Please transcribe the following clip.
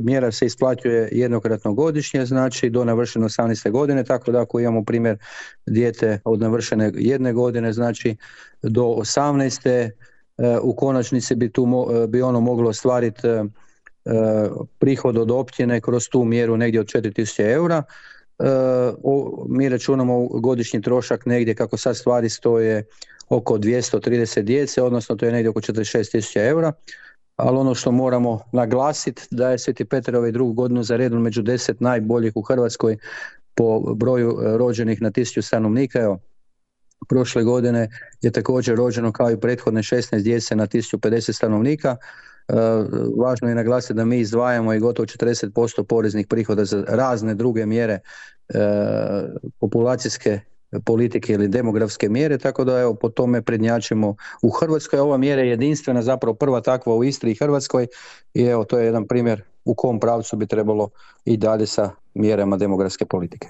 mjera se isplaćuje jednokratno godišnje, znači do navršene 18. godine, tako da ako imamo primjer dijete od navršene 1 godine, znači do 18. U konačnici bi ono moglo ostvariti prihod od općine kroz tu mjeru negdje od 4.000 eura. Mi računamo godišnji trošak negdje, kako sad stvari stoje, oko 230 djece, odnosno to je negdje oko 46.000 eura. Ali ono što moramo naglasiti da je Sveti Petar ovaj drugu godinu za redom među 10 najboljih u Hrvatskoj po broju rođenih na 1000 stanovnika. Evo, prošle godine je također rođeno kao i prethodne 16 djece na 1050 stanovnika. Važno je naglasiti da mi izdvajamo i gotovo 40% poreznih prihoda za razne druge mjere populacijske politike ili demografske mjere, tako da evo po tome prednjačimo u Hrvatskoj. Ova mjera je jedinstvena, zapravo prva takva u Istri i Hrvatskoj i evo to je jedan primjer u kom pravcu bi trebalo i dalje sa mjerama demografske politike.